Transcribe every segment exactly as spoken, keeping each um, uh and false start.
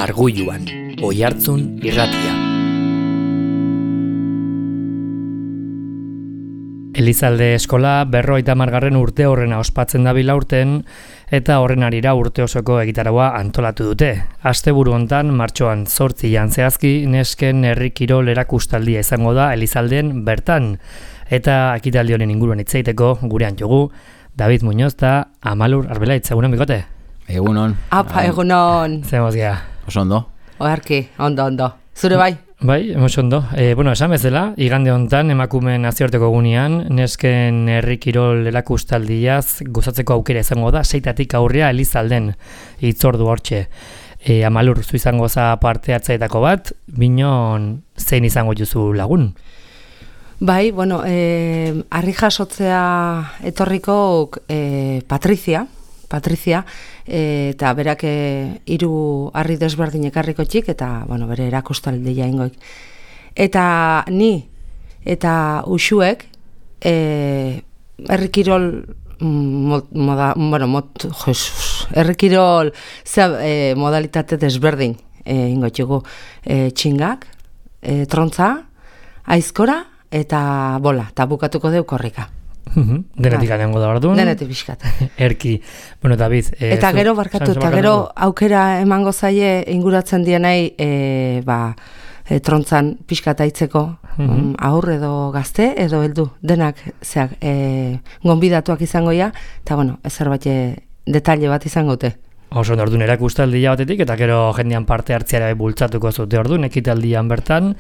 Arguluan, Oihartzun irratia. Elizalde eskola berrogeita hamargarren urte horrena ospatzen dabil aurten eta horren harira urte osoko egitaraua antolatu dute. Asteburu hontan martxoan zortzian zehazki nesken herri kirol erakustaldia izango da Elizalden bertan. Eta ekitaldi honen inguruan hitz egiteko gurean jogu David Muñoz eta Amalur Arbelaitz. Egunon bikote? Egunon. Apa, egunon. Zemos gea. Oso ondo? Oarki, ondo, ondo. Zure bai? Bai, oso ondo. E, bueno, esan bezala, igande hontan emakumeen nazioarteko egunean, nesken herri kirol erakustaldiaz gozatzeko aukera izango da, seitatik aurrea Elizalden hitzordu hortxe. E, Amalur, zu izango za parte hartzaetako bat, binon zein izango juzu lagun? Bai, bueno, eh, harri jasotzea etorriko eh, Patrizia, Patrizia, e, eta berak hiru harri desberdin ekarriko txik, eta bueno, bere erakustaldia ingoik. Eta ni eta uxuek e, herrikirol moda, bueno, mot, Jesus, herrikirol e, modalitate desberdin e, ingoitxugu. E, txingak, e, trontza, aizkora eta bola, eta bukatuko deu korrika. Denetik anengo da orduan. Denetik pixkat. Erki. Bueno, David. Eh, eta gero barkatu, eta gero aukera emango zaie inguratzen dienei e, ba, e, trontzan pixkat aitzeko um, aurre edo gazte edo heldu denak zeak e, gonbidatuak izango ja, eta bueno, ezer bat detalle bat izango dute. Oso orduan erakustaldia batetik, eta gero jendean parte hartziara bultzatuko zute orduan, ekitaldian bertan,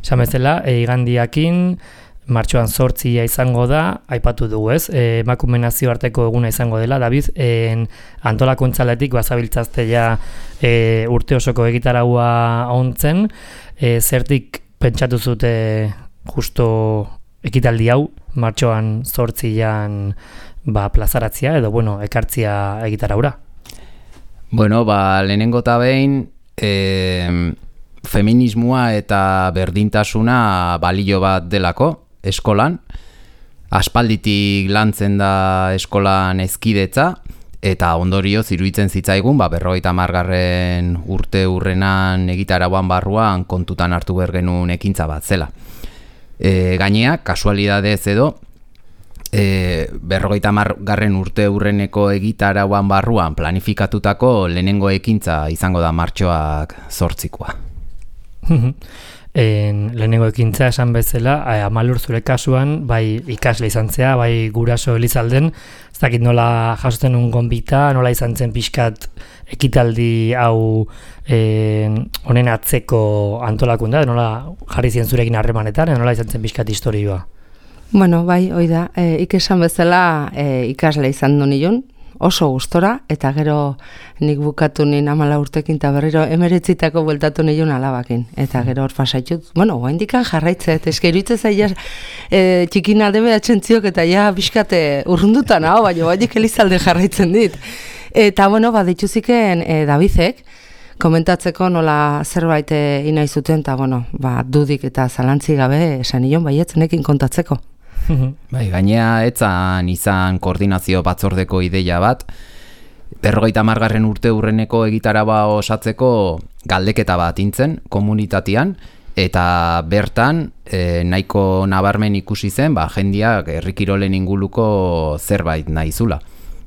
esan bezala, e, igandiakin, martxoan zortzia izango da, aipatu dugu ez, e, emakume nazioarteko eguna izango dela, David, en, antolakuntzaletik bazabiltzazte ja e, urte osoko egitaraua ontzen, e, zertik pentsatu zute justo ekitaldi hau, martxoan zortzian ba, plazaratzia, edo bueno, ekartzia egitaraura? Bueno, ba, lehenengo eta behin, e, feminismoa eta berdintasuna balio bat delako, eskolan, aspalditik lantzen da eskolan hezkidetza, eta ondorioz iruditzen zitzaigun, ba, berrogeita hamargarren urte hurrenan egitarauan barruan kontutan hartu behar genuen ekintza bat zela. E, gainea, kasualidadez edo, e, berrogeita hamargarren urte hurreneko egitarauan barruan planifikatutako lehenengo ekintza izango da martxoak zortzikoa. En, lehenengo ekintza esan bezala, Amalur zure kasuan, bai ikasle izan zea, bai guraso Elizalden, ez dakit nola jasotzen un gonbita, nola izan zen pixkat ekitaldi hau en, honen atzeko antolakunda, nola jarri zien zurekin harremanetan, nola izan zen pixkat historioa? Bueno, bai, hoi da, e, ikesan bezala e, ikasle izan du nion, oso gustora, eta gero nik bukatu nien amala urtekin, eta berriro emeretzitako bueltatu nion alabakin. Eta gero hor pasaitut, bueno, guaindikan jarraitzet, eske iruitze zaila e, txikin alde atxentziok, eta ja biskate urrundutan hau, baina bainik Elizalde jarraitzen dit. Eta bueno, bat dituziken e, Davidek, komentatzeko nola zerbait e, inai zuten, eta bueno, ba, dudik eta zalantzi gabe esan nion baietzenekin kontatzeko. Bai, gainea etzan izan koordinazio batzordeko ideia bat, berrogeita hamargarren urte hurreneko egitaraba osatzeko galdeketa bat intzen komunitatean, eta bertan e, nahiko nabarmen ikusi zen, ba, jendiak herrikirolen inguluko zerbait nahizula.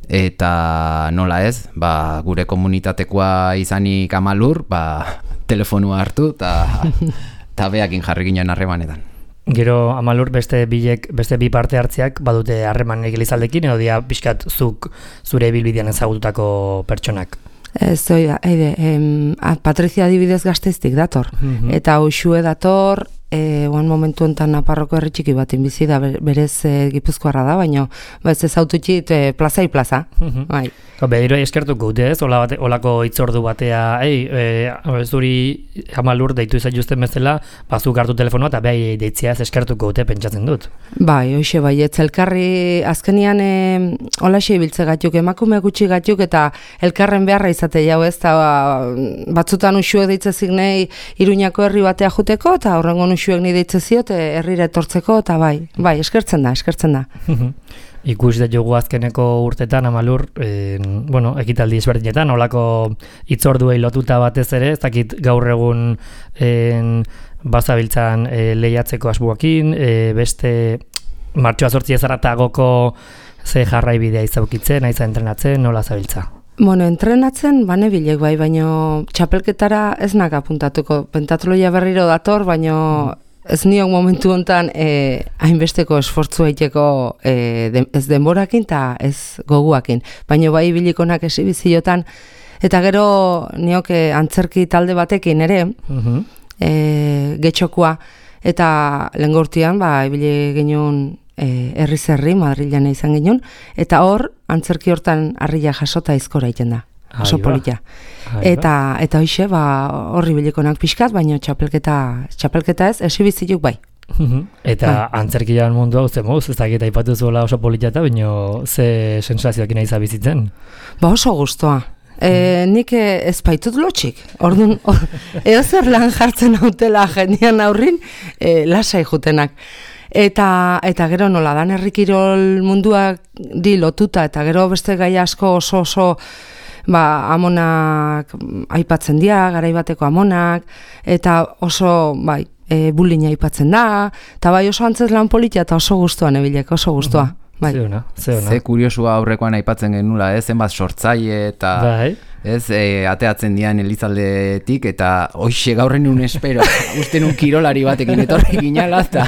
Eta nola ez, ba, gure komunitatekoa izanik Amalur, ba, telefonua hartu eta beakin jarri ginen harremanetan. Gero Amalur beste bilek, beste bi parte hartziak badute harremanek Elizaldekin, edo dia pixkat zuk zure ibilbidean ezagututako pertsonak? Ez, oi da, eide, em, Patrizia adibidez Gasteiztik dator, mm-hmm. eta Uxue dator, e, oan momentu enten Naparroko herri txiki batin bizi da, berez e, Gipuzkoarra da, baina ez ez aututxit e, plazai plaza. Mm-hmm. Bai. Behiro eskertuko dute ez, Ola bate, olako hitzordu batea, ei, e, zuri Amalur deitu izan justen bezala, bazuk hartu telefonoa eta behi deitzea ez eskertuko dute pentsatzen dut. Bai, hoxe, bai, ez elkarri azkenian e, olaxe ibiltze gatuk, emakume gutxi gatuk eta elkarren beharra izate jau ez, eta batzutan Uxuek deitzezik nahi Iruñako herri batea juteko, eta horrengo Uxuek nahi deitzeziot herrira etortzeko, eta bai, bai, eskertzen da, eskertzen da. Ikus da jogu azkeneko urtetan Amalur, eh, bueno, ekitaldi ezberdinetan, olako hitzorduei lotuta batez ere, ez dakit gaur egun eh, bazabiltzan eh, lehiatzeko asbuakin, eh, beste martxoa zortzi ezaratagoko ze jarraibidea izaukitzen, aiza entrenatzen, nola zabiltza? Bueno, entrenatzen bane bilek bai, baino txapelketara ez nak apuntatuko. Pentatloia berriro dator, baino ez niok momentu hontan eh, hainbesteko esfortzu egiteko eh, de, ez denborakin eta ez goguakin. Baina bai bilikonak esibiziotan, eta gero niok eh, antzerki talde batekin ere, uh-huh. eh, getxokua, eta lengortian ba, ibili genuen eh, herri-zerri, Madrilean izan genuen, eta hor, antzerki hortan harria jasota izkora egiten da. Oso polita. Eta eta hoixe ba horri bilikonak pixkat, baina txapelketa txapelketa ez, esibizioak bai. Eta ba. Antzerkian mundu hau ze moz, ez dakit aipatu zuela oso polita eta baina ze sensazioak nahi bizitzen? Ba oso gustoa. E, nik ez baitut lotxik. Orduan, or, edo zer lan jartzen hautela jendean aurrin, e, lasai jutenak. Eta, eta gero nola dan herrikirol munduak di lotuta, eta gero beste gai asko oso oso ba, amonak aipatzen dira, garaibateko amonak, eta oso, bai, e, bullying aipatzen da, eta bai oso antzez lan politia eta oso gustuan ebilek, oso gustua. Bai. Zeuna, zeuna. Ze kuriosua aurrekoan aipatzen genula, ez, zenbat sortzaile eta bai. Ez, e, ateatzen dian Elizaldetik, eta hoxe gaurren un espero, uste nun kirolari batekin etorri ginala, eta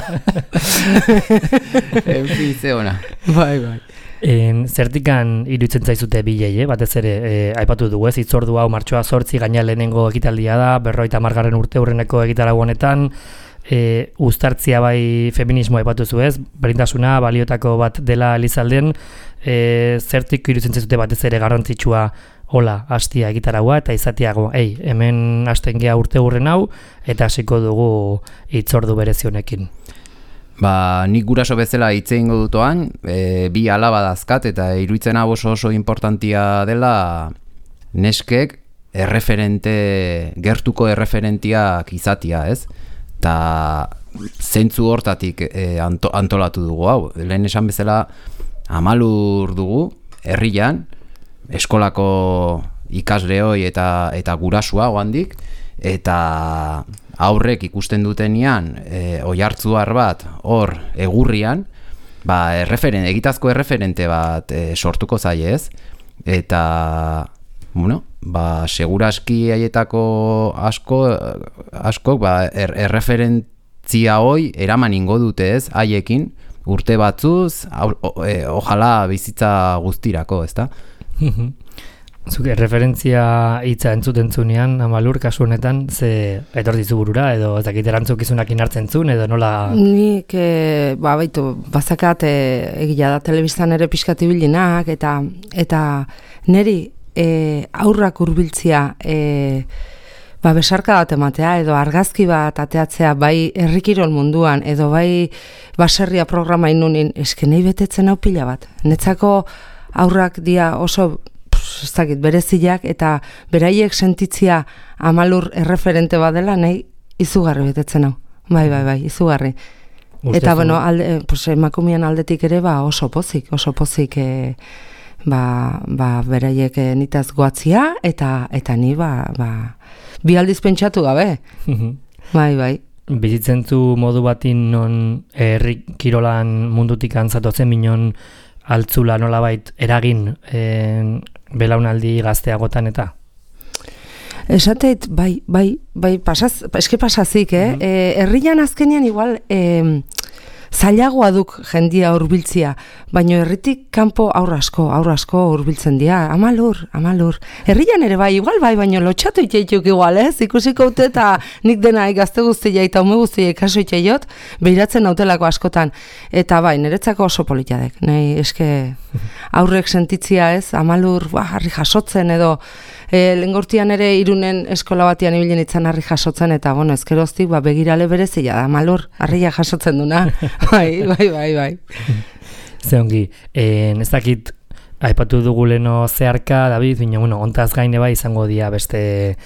en fin, ze ona. Bai, bai. En, zertikan iruditzen zaizute bilei, eh? Batez ere, eh, aipatu dugu ez, hitzordu hau martxoa zortzi, gaina lehenengo ekitaldia da, berroita margarren urte hurreneko egitarau honetan, eh, uztartzia bai feminismoa aipatu zu ez, berdintasuna baliotako bat dela Elizalden, eh, zertik iruditzen zaizute batez ere garrantzitsua hola, hastia egitaragoa eta izatiago, ei, hemen hasten gea urte hurren hau, eta hasiko dugu hitzordu berezionekin. Ba, nik guraso bezala hitz egingo dutoan, e, bi alaba dazkat, eta iruditzen hau oso oso importantia dela neskek erreferente, gertuko erreferentiak izatia, ez? Ta zentzu hortatik e, anto, antolatu dugu hau. Lehen esan bezala Amalur dugu, herrian, eskolako ikasleoi eta, eta gurasua oandik, eta aurrek ikusten dutenian e, oihartzuar bat hor egurrian, ba, erreferen, egitazko erreferente bat e, sortuko zaie ez, eta bueno, ba, seguraski haietako asko, askok ba, er, erreferentzia hoi eraman ingo dute ez, haiekin urte batzuz, o, o, e, ojala bizitza guztirako, ezta? Zuk erreferentzia hitza entzuten zunean, Amalur, kasu honetan, ze etortizu burura, edo ez dakit erantzukizunakin hartzen zuen, edo nola... Nik, e, ba, baitu, bazakat e, egia da telebistan ere pixkati bilinak, eta, eta neri e, aurrak hurbiltzia e, ba, besarka bat ematea, edo argazki bat ateatzea, bai herrikirol munduan, edo bai baserria programa inunin, eske nahi betetzen hau pila bat. Netzako aurrak dia oso... ez dakit, bereziak eta beraiek sentitzia Amalur erreferente badela nahi izugarri betetzen hau. Bai, bai, bai, izugarri. Uste eta, bueno, alde, pues, emakumean aldetik ere ba oso pozik, oso pozik e, ba, ba, beraiek e, nitaz goatzia eta eta ni ba, ba bi aldiz pentsatu gabe. Bai, bai. Bizitzen zu modu batin non herri kirolan mundutik antzatotzen minon altzula nolabait eragin en, belaunaldi gazteagotan eta? Esateit, bai, bai, bai, pasaz, eske pasazik, eh? Mm-hmm. E, herrian azkenean igual e, zailagoa duk jendia hurbiltzia, baino herritik kanpo aur asko, aur asko hurbiltzen dira, Amalur, Amalur. Herrian ere bai, igual bai, baino lotxatu itxeituk igual, ez? Ikusiko ute eta nik dena gazte guztia eta ume guztia kaso itxeiot, behiratzen nautelako askotan. Eta bai, niretzako oso politadek, nahi eske aurrek sentitzia ez, Amalur, ba, harri jasotzen edo, E, lengortian ere Irunen eskola batian ibilen itzan harri jasotzen, eta bueno, ezkeroztik ba, begirale berezia da, Amalur, harria jasotzen duna. bai, bai, bai, bai. Ze ongi, e, ez dakit aipatu dugu leno zeharka, David, bina, bueno, ontaz gaine bai izango dia beste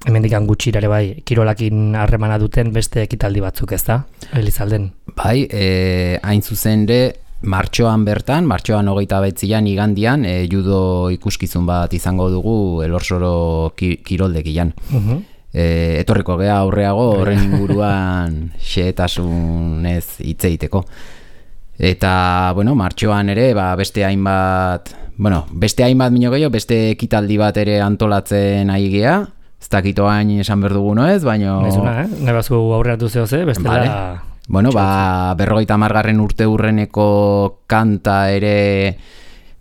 hemendikan gutxirare bai, kirolakin harremana duten beste ekitaldi batzuk, ez da? Elizalden. Bai, e, hain zuzen ere, martxoan bertan, martxoan hogeita betzian igandian, e, judo ikuskizun bat izango dugu Elorsoro ki, kiroldegian. Uh-huh. E, etorriko gea aurreago horren inguruan xehetasunez hitz egiteko. Eta, bueno, martxoan ere, ba, beste hainbat, bueno, beste hainbat mino gehiago, beste ekitaldi bat ere antolatzen ari gea, ez dakito hain esan behar dugu noez, baina... Nezuna, eh? Nebazu aurreatu zehoze, bestela... Vale. Bueno, ba, berrogeita hamargarren urte urreneko kanta ere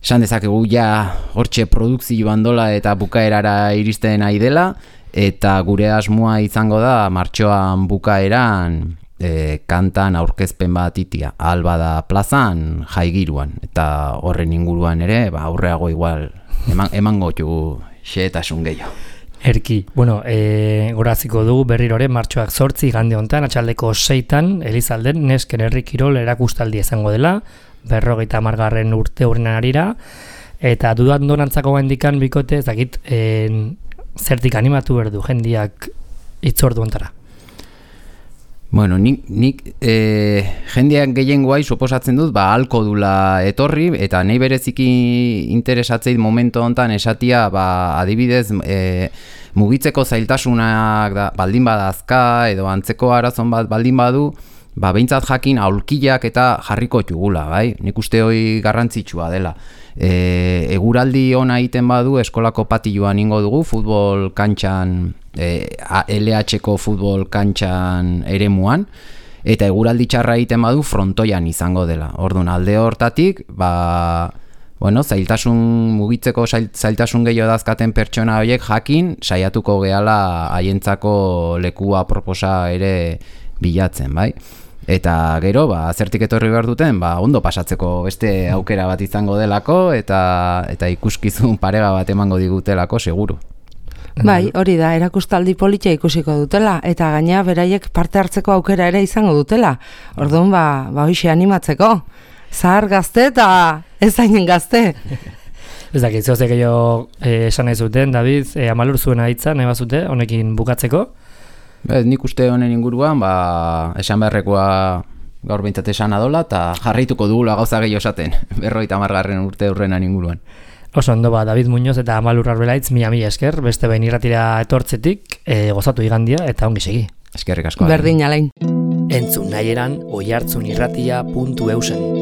esan dezakegu ja hortxe produkzioan dola eta bukaerara iristen nahi dela, eta gure asmoa izango da martxoan bukaeran e, kantan aurkezpen bat itia, Albada plazan jaigiruan, eta horren inguruan ere ba, aurreago igual eman, emango txugu xehetasun gehiago. Erki, bueno, e, goraziko dugu berrirore martxoak zortzi igande hontan, atxaldeko seitan, Elizalden nesken herri kirol erakustaldi izango dela, berrogeita hamargarren urte urrenan arira, eta dudan donantzako gaindikan bikote, ez dakit, e, zertik animatu berdu jendiak itzordu ontara. Bueno, nik, nik e, jendeak gehiengoai suposatzen dut, ba, halko dula etorri, eta nahi bereziki interesatzeit momentu hontan esatia, ba, adibidez, e, mugitzeko zailtasunak da, baldin badazka, edo antzeko arazon bat baldin badu, ba, behintzat jakin aulkiak eta jarriko txugula, bai? Nik uste hori garrantzitsua dela. E, eguraldi ona egiten badu, eskolako patiloan ingo dugu, futbol kantxan, e, L H-ko futbol kantxan eremuan, eta eguraldi txarra egiten badu frontoian izango dela. Orduan, alde hortatik, ba, bueno, zailtasun, mugitzeko zailtasun gehiago dazkaten pertsona horiek jakin, saiatuko gehala haientzako lekua proposa ere bilatzen, bai? Eta gero, ba, zertik etorri behar duten, ba, ondo pasatzeko beste aukera bat izango delako, eta, eta ikuskizun parega bat emango digutelako, seguru. Bai, hori da, erakustaldi politia ikusiko dutela, eta gaina beraiek parte hartzeko aukera ere izango dutela. Orduan, ba, ba hoxe animatzeko. Zahar gazte eta ez hainen gazte. Ez dakit, zehozek gehiago eh, esan nahi zuten, David, eh, amalur zuen ahitza, nahi bazute, honekin bukatzeko? Bez, nik uste honen inguruan, ba, esan beharrekoa gaur behintzat esan adola, eta jarraituko dugula gauza gehiago esaten, berrogeita hamargarren urte urrenan inguruan. Oso ondo, ba, David Muñoz eta Amalur Arbelaitz, mila mila esker, beste behin irratira etortzetik, e, gozatu igandia eta ongi segi. Eskerrik asko. Berdin alain. Entzun nahi eran oihartzun irratia puntu eusen.